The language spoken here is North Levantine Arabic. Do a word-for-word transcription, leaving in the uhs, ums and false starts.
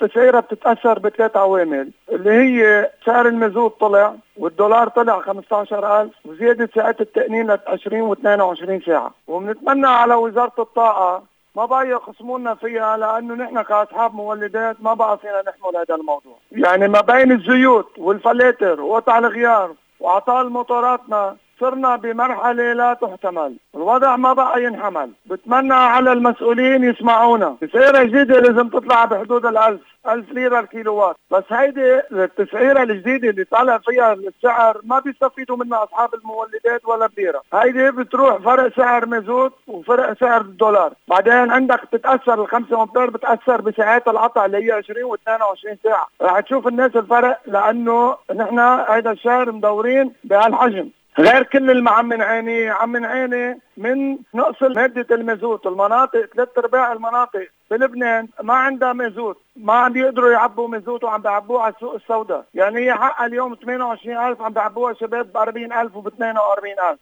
التسعيرة بتتأثر بثلاث عوامل اللي هي سعر المازوت طلع والدولار طلع خمسة عشر ألف وزيادة ساعات التأمين ل عشرين واثنين وعشرين ساعة. وبنتمنى على وزارة الطاقة ما بقى يخصمونا فيها، لأنه نحن كأصحاب مولدات ما بقى فينا نحمل هذا الموضوع. يعني ما بين الزيوت والفلاتر وقطع الغيار وأعطال موتوراتنا صرنا بمرحلة لا تحتمل، الوضع ما بقى ينحمل. بتمنى على المسؤولين يسمعونا. التسعيرة الجديدة لازم تطلع بحدود الألف ألف ليرة الكيلووات، بس هيدي التسعيرة الجديدة اللي طالع فيها السعر ما بيستفيدوا منها أصحاب المولدات ولا بليرة. هيدي بتروح فرق سعر مازوت وفرق سعر الدولار. بعدين عندك تتأثر الخمسة أمبير بتأثر بساعات القطع اللي هي عشرين واثنين وعشرين ساعة. رح تشوف الناس الفرق، لأنه نحن هيدا الشهر مدورين بهالحجم. غير كل المعمن عيني عمن عيني من نقص مادة المازوت. المناطق ثلاث ارباع المناطق بلبنان ما عندها مازوت، ما عم بيقدروا يعبوا مازوت وعم بيعبوه على السوق السوداء. يعني هي حقها اليوم ثمانية وعشرين ألف عم بيعبوها شباب ب أربعين ألف وب اثنين وأربعين ألف.